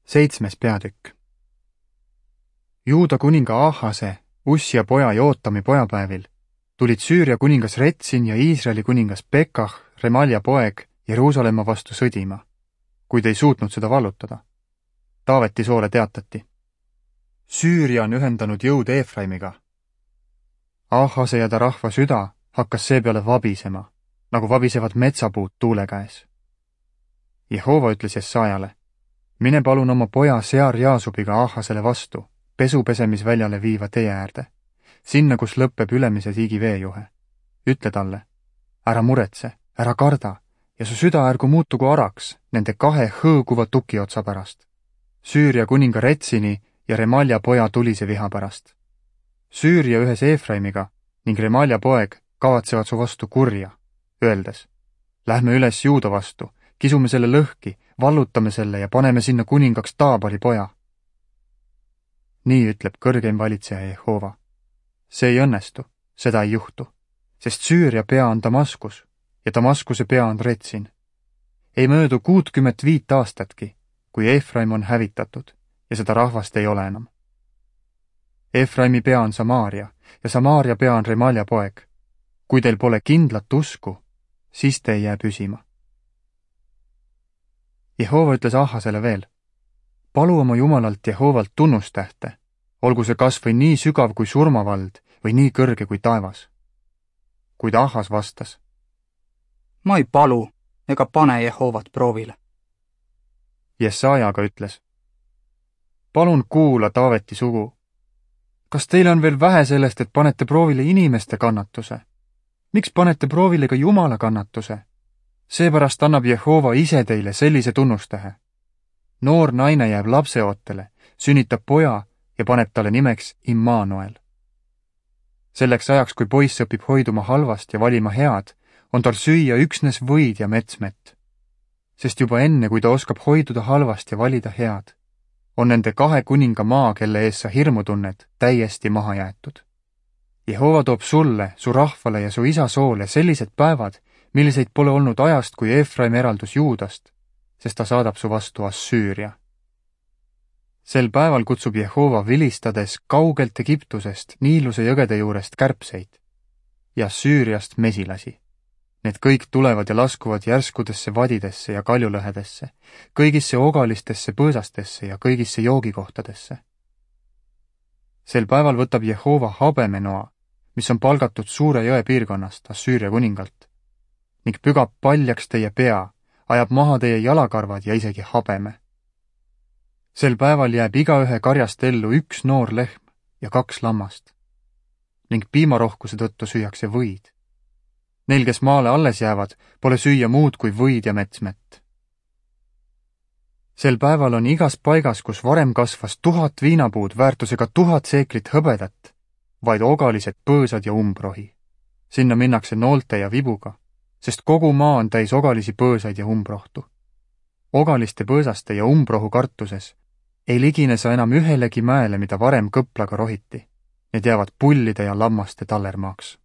7. peatükk. Juuda kuninga Ahase, Ussia poja Jootami pojapäevil tulid Süüria kuningas Retsin ja Iisraeli kuningas Pekah, Remalja poeg, Jeruusalemma vastu sõdima, kuid ei suutnud seda vallutada. Taaveti soole teatati: Süüria on ühendanud jõud Eefraimiga. Ahase ja ta rahva süda hakkas seepeale vabisema, nagu vabisevad metsapuud tuule käes. Jehova ütles Jesajale: mine palun oma poja Sear Jaasubiga Ahasele vastu, pesupesemisväljale viiva tee äärde, sinna, kus lõpeb ülemise tiigi veejuhe. Ütle talle: ära muretse, ära karda ja su süda ärgu muutugu araks nende 2 hõõguva tukiotsa pärast, Süüria kuninga Retsini ja Remalja poja tulise viha pärast. Süüria ühes Eefraimiga ning Remalja poeg kavatsevad su vastu kurja, öeldes: lähme üles Juuda vastu, kisume selle lõhki, vallutame selle ja paneme sinna kuningaks Taabali poja. Nii ütleb kõrgeim valitseja Jehova: see ei õnnestu, seda ei juhtu, sest Süüria pea on Damaskus ja Damaskuse pea on Retsin. Ei möödu 65 aastatki, kui Eefraim on hävitatud ja seda rahvast ei ole enam. Eefraimi pea on Samaaria ja Samaaria pea on Remalja poeg. Kui teil pole kindlat usku, siis te ei jää püsima. Jehova ütles Ahasele veel: palu oma Jumalalt Jehovalt tunnustähte, olgu see kas või nii sügav kui surmavald või nii kõrge kui taevas. Kuid Ahas vastas: ma ei palu ega pane Jehovat proovile. Jesaja aga ütles: palun kuula, Taaveti sugu. Kas teil on veel vähe sellest, et panete proovile inimeste kannatuse? Miks panete proovile ka Jumala kannatuse? Seepärast annab Jehova ise teile sellise tunnustähe. Noor naine jääb lapseootele, sünnitab poja ja paneb talle nimeks Immanuel. Selleks ajaks, kui poiss õpib hoiduma halvast ja valima head, on tal süüa üksnes võid ja metsmett. Sest juba enne, kui ta oskab hoiduda halvast ja valida head, on nende 2 kuninga maa, kelle ees sa hirmu tunned, täiesti maha jäetud. Jehova toob sulle, su rahvale ja su isa soole sellised päevad, milliseid pole olnud ajast, kui Eefraim eraldus Juudast, sest ta saadab su vastu Assüüria. Sel päeval kutsub Jehova vilistades kaugelt Egiptusest Niiluse jõgede juurest kärbseid ja Assüüriast mesilasi. Need kõik tulevad ja laskuvad järskudesse vadidesse ja kaljulõhedesse, kõigisse ogalistesse põõsastesse ja kõigisse joogikohtadesse. Sel päeval võtab Jehova habemenoa, mis on palgatud suure jõe piirkonnast Assüüria kuningalt, ning pügab paljaks teie pea, ajab maha teie jalakarvad ja isegi habeme. Sel päeval jääb igaühe karjast ellu 1 noor lehm ja 2 lammast, ning piimarohkuse tõttu süüakse võid. Neil, kes maale alles jäävad, pole süüa muud kui võid ja metsmett. Sel päeval on igas paigas, kus varem kasvas 1000 viinapuud väärtusega 1000 seeklit hõbedat, vaid ogalised põõsad ja umbrohi. Sinna minnakse noolte ja vibuga, sest kogu maa on täis ogalisi põõsaid ja umbrohtu. Ogaliste põõsaste ja umbrohu kartuses ei ligine sa enam ühelegi mäele, mida varem kõplaga rohiti. Need jäävad pullide ja lammaste tallermaaks.